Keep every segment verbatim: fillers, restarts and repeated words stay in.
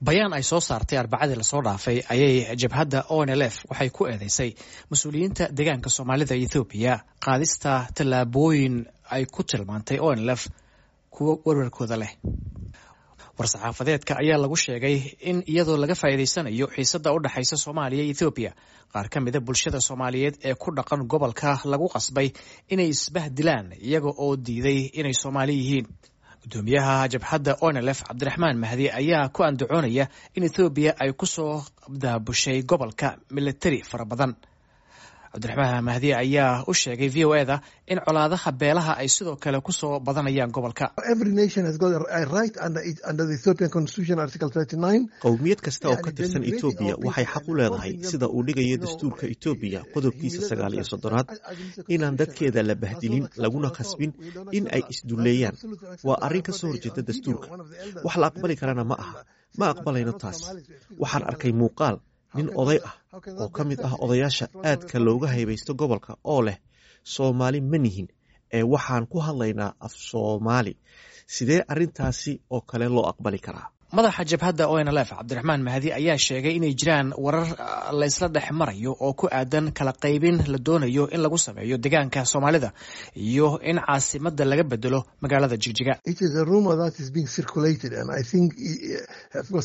Bayaan ay soo saartay Arbacadii lasoo dhaafay ayay jabhadda O N L F waxay ku eedeysay mas-uuliyiinta deegaanka Soomaalida Ethoobiya qaadista tallaabooyin ay ku tilmaantay O N L F kuwo werwarkooda leh. War-saxaafadeedka ayaa lagu sheegay in iyadoo laga faa'iidaysanayo xiisadda u dhexaysa Soomaaliya iyo Ethoobiya, qaar ka mida bulshada Soomaaliyeed ee ku dhaqan gobolka lagu qasbay inay isbahdilaan iyaga oo diiday inay Soomaali yihiin. Gudoomiyaha jabhadda O N L F, Cabdiraxmaan Mahdi, ayaa ku andacoonaya in Ethoobiya ay kusoo daabushay gobolka militari fara badan. Cabdiraxmaan Mahdi ayaa u sheegay V O E da in colaadaha beelaha ay sidoo kale kusoo badanayaan gobolka. Qowmiyad kasta oo ka tirsan Etoobiya waxay xaq u leedahay, sida uu dhigayo dastuurka Etoobiya qodobkiisa sagaal iyo soddonaad, inaan dadkeeda la bahdilin laguna khasbin in ay isdulleeyaan. Waa arrin ka soo horjeeda dastuurka, wax la aqbali karana ma aha. Ma aqbalayno taas. Waxaan arkay muuqaal nin oday ah oo ka mid ah odayaasha aadka looga haybaysto gobolka oo leh, "Soomaali ma nihin ee waxaan ku hadlaynaa af Soomaali." Sidee arrintaasi oo kale loo aqbali karaa? Madaxa jabhadda O N L F, Cabdiraxmaan Mahdi, ayaa sheegay inay jiraan warar la isla dhex marayo oo ku aadan kala qaybin la doonayo in lagu sameeyo deegaanka Soomaalida iyo in caasimadda laga bedelo magaalada Jigjiga.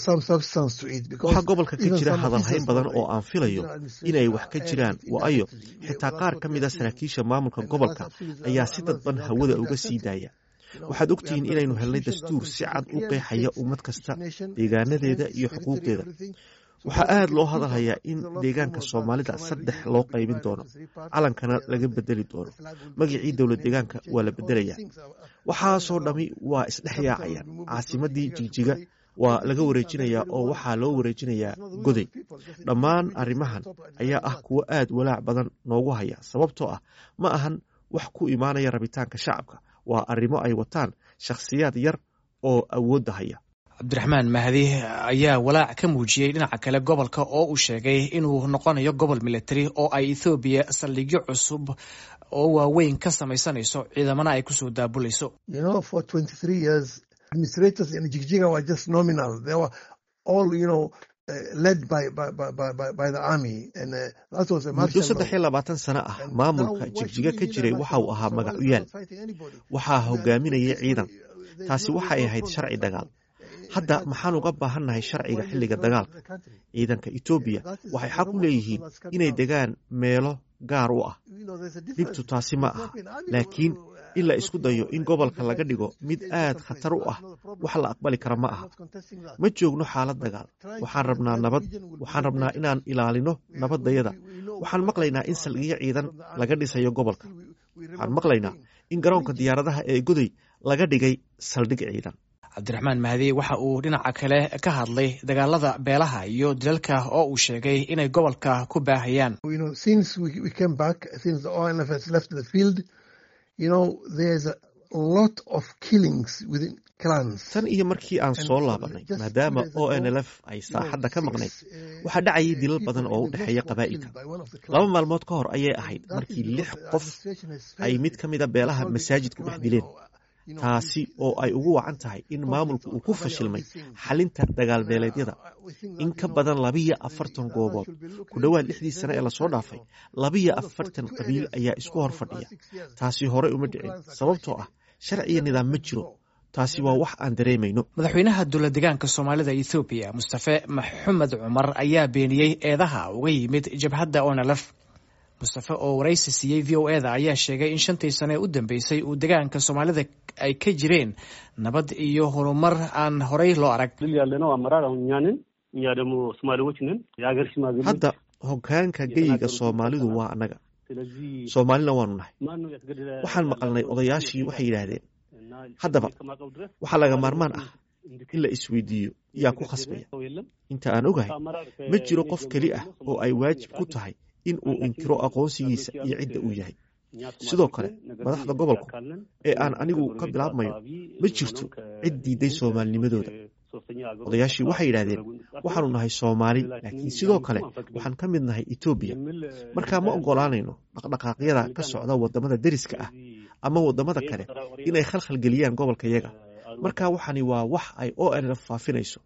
Waxaa gobolka ka jira hadalhayn badan oo aan filayo inay wax ka jiraan, waayo xitaa qaar ka mid a saraakiisha maamulka gobolka ayaa si dadban hawada uga sii daaya. Waxaad ogtihiin inaynu helnay dastuur si cad u qeexaya ummad kasta, deegaanadeeda iyo xuquuqdeeda. Waxaa aad loo hadalhayaa in deegaanka Soomaalida saddex loo qaybin doono, calankana laga bedeli doono, magacii dowlad deegaanka waa la bedelayaa. Waxaasoo dhami waa isdhex yaacayaan. Caasimadii Jigjiga waa laga wareejinayaa oo waxaa loo wareejinayaa Goday. Dhammaan arrimahan ayaa ah kuwo aad walaac badan noogu haya, sababtoo ah ma ahan wax ku imaanaya rabitaanka shacabka, waa arrimo ay wataan shakhsiyaad yar oo awoodda haya. Cabdiraxmaan Mahdi ayaa walaac ka muujiyey dhinaca kale gobolka oo uu sheegay inuu noqonayo gobol military oo ay Ethoobiya saldhigyo cusub oo waaweyn ka samaysanayso, ciidamana ay kusoo daabulayso. Administrators in Jigjiga were just nominal. They were all, you know, uh, led by, by, by, by, by the army. And uh, that was a Muddo saddex iyo labaatan sano ah maamulka Jigjiga ka jiray waxa uu ahaa magacuyaal, waxaa hogaaminayay ciidan. Taasi waxay ahayd sharci dagaal. Hadda maxaan uga baahannahay sharciga xilliga dagaalka? Ciidanka Etoobiya waxay xaq u leeyihiin inay degaan meelo gaar u ah. Dhibtu taasi ma aha, laakiin in la isku dayo in gobolka laga dhigo mid aad khatar u ah wax la aqbali kara ma aha. Ma joogno xaalad dagaal. Waxaan rabnaa nabad. Waxaan rabnaa inaan ilaalino nabaddayada. Waxaan maqlaynaa in saldhigyo ciidan laga dhisayo gobolka. Waxaan maqlaynaa in garoonka diyaaradaha ee Goday laga dhigay saldhig ciidan. Cabdiraxmaan Mahdi waxa uu dhinaca kale ka hadlay dagaalada beelaha iyo dilalka oo uu sheegay inay gobolka ku baahayaan. you know, there's a lot of killings within clans. Tan iyo markii aan soo laabanay, maadaama O N L F ay saaxadda ka maqnayd, waxaa dhacayay dilal badan oo u dhexeeya qabaa'ilka. Laba maalmood ka hor ayay ahayd markii lix qof ay mid ka mida beelaha masaajid ku dhex dileen, taasi oo ay ugu wacan tahay in maamulku uu ku fashilmay xalinta dagaalbeeleedyada. In ka badan labiyo afartan goobood, ku dhowaad lixdii sane ee lasoo dhaafay, labiyo afartan qabiil ayaa isku hor fadhiya. Taasi horey uma dhicin, sababtoo ah sharciya nidaam ma jiro. Taasi waa wax aan dareemayno. Madaxweynaha dowlad deegaanka Soomaalida Ethoobiya, Mustafe Maxamed Cumar, ayaa beeniyey eedaha uga yimid jabhadda O N L F. Mustafe oo waraysi siiyey V O E da ayaa sheegay in shantii sane ee u dambeysay uu deegaanka Soomaalida ay ka jireen nabad iyo horumar aan horey loo arag. Hadda hoggaanka geyiga Soomaalidu waa annaga, Soomaalina waanu nahay. Waxaan maqalnay odayaashii waxay yidhaahdeen. Haddaba waxaa laga maarmaan ah in la isweydiiyo, yaa ku khasbaya? Inta aan ogahay, ma jiro qof keli ah oo ay waajib ku tahay in uu inkiro aqoonsigiisa iyo cidda uu yahay. Sidoo kale madaxda gobolku ee aan anigu ka bilaabmayo, ma jirto cid diiday Soomaalinimadooda. Odayaashii waxay yidhaahdeen, "Waxaanu nahay Soomaali, laakiin sidoo kale waxaan ka mid nahay Etoobiya." Markaa ma ogolaanayno dhaqdhaqaaqyada ka socda waddamada deriska ah ama waddamada kale inay khalkhal geliyaan gobolkayaga. Marka waxani waa wax ay O N L F faafinayso,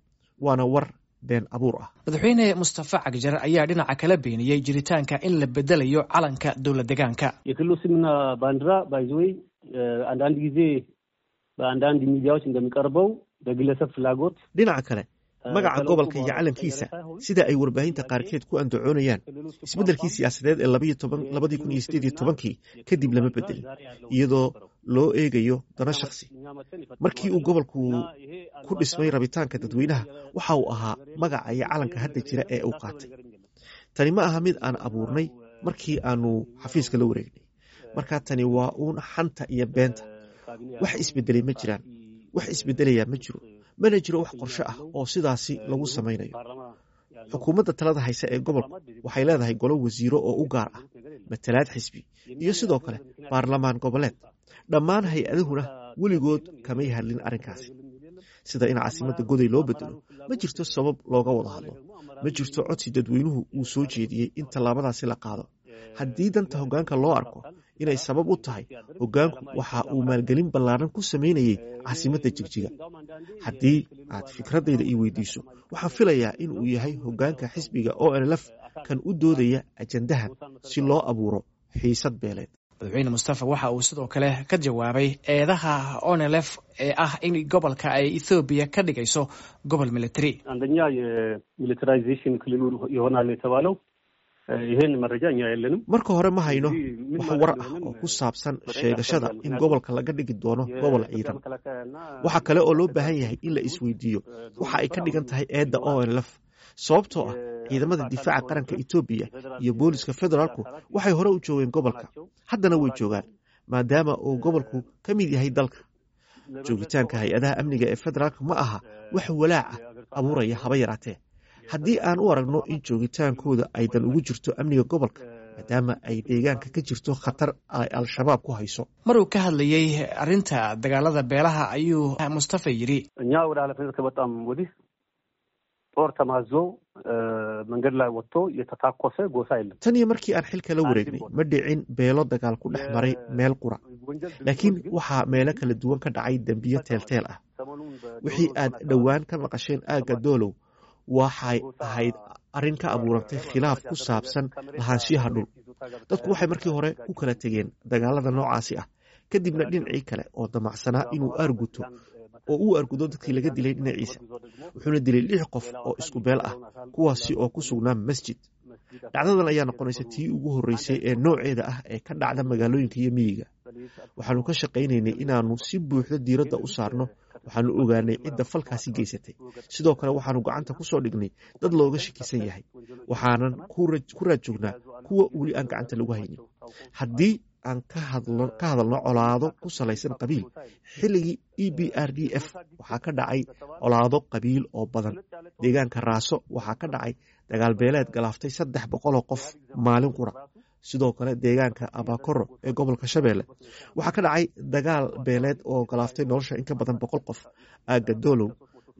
waana war Been abuur ah. Madaxweyne Mustafa Cagjar ayaa dhinaca kala beeniyey jiritaanka in la bedelayo calanka dowlad deegaanka. የክልሉ ስምና ባንዲራ ባይዘወይ አንዳንድ ጊዜ በአንዳንድ ሚዲያዎች እንደሚቀርበው በግለሰብ ፍላጎት Dhinaca kale, magaca gobolka iyo calankiisa, sida ay warbaahinta qaarkeed ku andacoonayaan, isbeddelkii siyaasadeed ee labadii kun iyo sideed iyo tobankii kadib lama bedelin iyadoo loo eegayo dano shakhsi. Markii uu gobolku ku dhismay rabitaanka dadweynaha, waxa uu ahaa magaca iyo calanka hadda jira ee uu qaatay. Tani ma aha mid aan abuurnay markii aanu xafiiska la wareegnay. Marka tani waa uun xanta iyo beenta. Wax isbedelay ma jiraan, wax isbedelayaa ma jiro, mana jiro wax qorshe ah oo sidaasi lagu samaynayo. Xukuumadda talada haysa ee gobolku waxay leedahay golo wasiiro oo u gaar ah, matalaad xisbi iyo sidoo kale baarlamaan goboleed. Dhammaan hay-aduhuna weligood kamay hadlin arrinkaasi, sida in caasimadda Goday loo bedelo. Ma jirto sabab looga wada hadlo, ma jirto codsi dadweynuhu uu soo jeediyey in tallaabadaasi la qaado. Haddii danta hoggaanka loo arko inay sabab u tahay, hoggaanku waxa uu maalgelin ballaaran ku samaynayey caasimadda Jigjiga. Haddii aad fikraddayda ii weydiiso, waxaan filayaa in uu yahay hoggaanka xisbiga O N L F kan u doodaya ajandahan si loo abuuro xiisad beeleed. Madaxweyne Mustafa waxa uu sidoo kale ka jawaabay eedaha O N L F ee ah in gobolka ay Ethoobiya ka dhigayso gobol military. አንደኛ የሚሊተራይዜሽን ክልሉ ይሆናል የተባለው ይሄን መረጃ እኛ የለንም። Marka hore, ma hayno wax war ah oo ku saabsan sheegashada in gobolka laga dhigi doono gobol ciidan. Waxa kale oo loo baahan yahay in la isweydiiyo waxa ay ka dhigan tahay eedda O N L F, sababtoo ah ciidamada difaaca qaranka Etoobiya iyo booliska federaalku waxay hore u joogeen gobolka, haddana way joogaan, maadaama uu gobolku ka mid yahay dalka. Joogitaanka hay-adaha amniga ee federaalka ma aha wax walaac ah abuuraya haba yaraatee, haddii aan u aragno in joogitaankooda ay dan ugu jirto amniga gobolka, maadaama ay deegaanka ka jirto khatar ay Al-Shabaab ku hayso. Maruu ka hadlayey arrinta dagaalada beelaha ayuu Mustafa yidhi: እኛ ወደ ኃላፊነት ከመጣም ወዲህ ጦር ተማዞ መንገድ ላይ ወጥቶ የተታኮሰ ጎሳ የለም። Tan iyo markii aan xilka la wareegnay, ma dhicin beelo dagaal ku dhex maray meel qura, laakiin waxaa meelo kala duwan ka dhacay dembiyo teelteel ah. Wixii aad dhowaan ka maqasheen aagga Doolow waxay ahayd arrin ka abuurantay khilaaf ku saabsan lahaanshiyaha dhul. Dadku waxay markii hore ku kala tegeen dagaalada noocaasi ah, kadibna dhinacii kale oo damacsanaa inuu aarguto oo uu argudo dadkii laga dilay dhinaciisa, wuxuuna dilay lix qof oo isku beel ah, kuwaasi oo ku sugnaa masjid. Dhacdadan ayaa noqonaysa tii ugu horreysay ee nooceeda ah ee ka dhacda magaalooyinka iyo miyiga. Waxaanu ka shaqaynaynay inaannu si buuxda diiradda u saarno. Waxaanu ogaanay cidda falkaasi geysatay. Sidoo kale waxaanu gacanta ku soo dhignay dad looga shakisan yahay, waxaanan ku raad joognaa kuwa weli aan gacanta lagu haynin. Haddii aan ka hadalno colaado ku salaysan qabiil, xilligii E B R D F waxaa ka dhacay colaado qabiil oo badan. Deegaanka Raaso waxaa ka dhacay dagaal beeleed galaaftay saddex boqoloo qof maalin qura. Sidoo kale deegaanka Abakoro ee gobolka Shabeelle waxaa ka dhacay dagaal beeleed oo galaaftay nolosha in ka badan boqol qof. Aagga Doolow,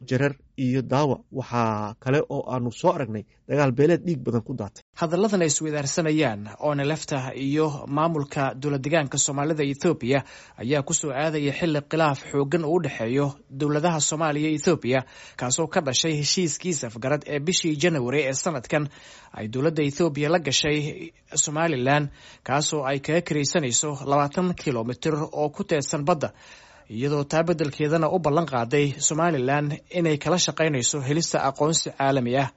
Jarar iyo Daawa waxaa kale oo aanu soo aragnay dagaal beeleed dhiig badan ku daatay. Hadalladan ay isweydaarsanayaan O N L F-ta iyo maamulka dowlad deegaanka Soomaalida Ethoobiya ayaa kusoo aadaya xilli khilaaf xooggan uu u dhexeeyo dowladaha Soomaaliya iyo Ethoobiya, kaasoo ka dhashay heshiiskii safgarad ee bishii Janawari ee sanadkan ay dowladda Ethoobiya la gashay Somalilan, kaasoo ay kaga karaysanayso labaatan kilomitir oo ku teedsan badda, iyadoo taa beddelkeedana u ballan qaaday Somalilan inay kala shaqaynayso helista aqoonsi caalami ah.